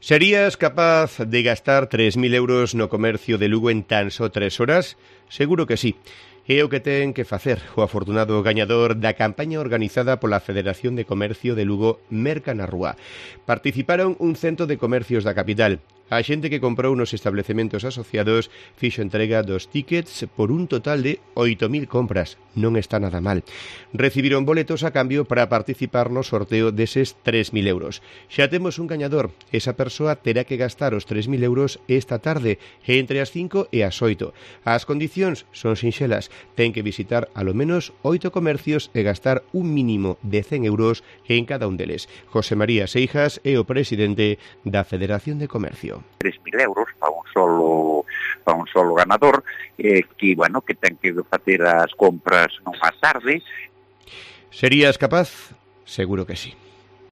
Serías capaz de gastar 3.000 euros no comercio de Lugo en tan só 3 horas? Seguro que sí. É o que ten que facer o afortunado gañador da campaña organizada pola Federación de Comercio de Lugo Merca na Rúa. Participaron 100 de comercios da capital. A xente que comprou nos establecementos asociados fixo entrega dos tickets por un total de 8.000 compras. Non está nada mal. Recibiron boletos a cambio para participar no sorteo deses 3.000 euros. Xa temos un gañador. Esa persoa terá que gastar os 3.000 euros esta tarde, entre as 5 e as 8. As condicións son sinxelas. Ten que visitar alo menos 8 comercios e gastar un mínimo de 100 euros en cada un deles. José María Seijas é o presidente da Federación de Comercio. 3.000 euros para un solo ganador que ten que facer as compras nunha tarde. Serías capaz? Seguro que sí.